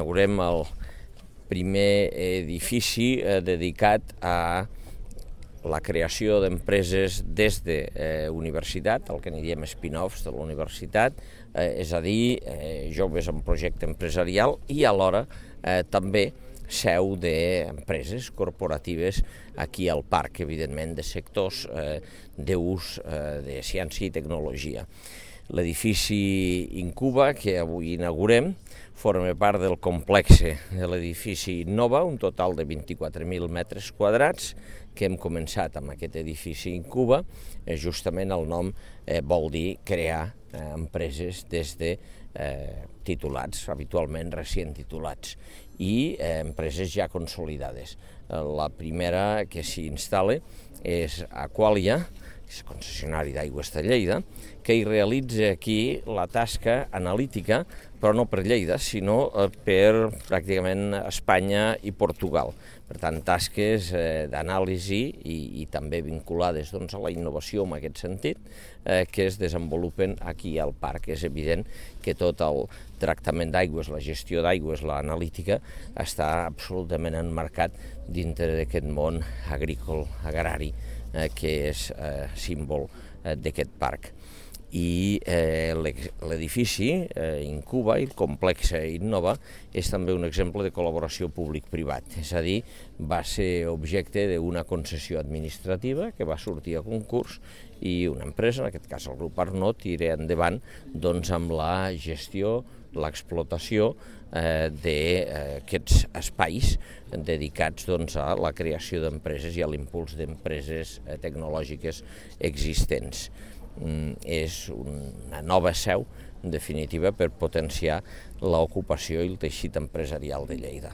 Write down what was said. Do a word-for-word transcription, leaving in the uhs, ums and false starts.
inaugurem el primer edifici dedicat a la creació d'empreses des de eh, universitat, el que n'hi diem spin-offs de la universitat, eh, és a dir, eh, joves en projecte empresarial i alhora eh, també seu d'empreses corporatives aquí al parc, evidentment, de sectors eh, d'ús eh, de ciència i tecnologia. L'edifici Incuba, que avui inaugurem, forma part del complex de l'edifici Innova, un total de vint-i-quatre mil metres quadrats, que hem començat amb aquest edifici Incuba. Eh, justament el nom eh, vol dir crear eh, empreses des de eh, titulats, habitualment recient titulats, i eh, empreses ja consolidades. Eh, la primera que s'hi instal·la és Aqualia, que és concessionari d'aigües de Lleida, que hi realitza aquí la tasca analítica, però no per Lleida, sinó per pràcticament Espanya i Portugal. Per tant, tasques eh, d'anàlisi i, i també vinculades doncs, a la innovació en aquest sentit, eh, que es desenvolupen aquí al parc. És evident que tot el tractament d'aigües, la gestió d'aigües, l'analítica, està absolutament emmarcat dintre d'aquest món agrícola, agrari, eh, que és eh, símbol eh, d'aquest parc. I eh, l'edifici eh, Incuba i el complex Innova és també un exemple de col·laboració públic-privat, és a dir, va ser objecte d'una concessió administrativa que va sortir a concurs i una empresa, en aquest cas el grup Arnaud, tira endavant doncs, amb la gestió, l'explotació eh, d'aquests espais dedicats doncs, a la creació d'empreses i a l'impuls d'empreses eh, tecnològiques existents. Mm, és una nova seu, en definitiva, per potenciar l'ocupació i el teixit empresarial de Lleida.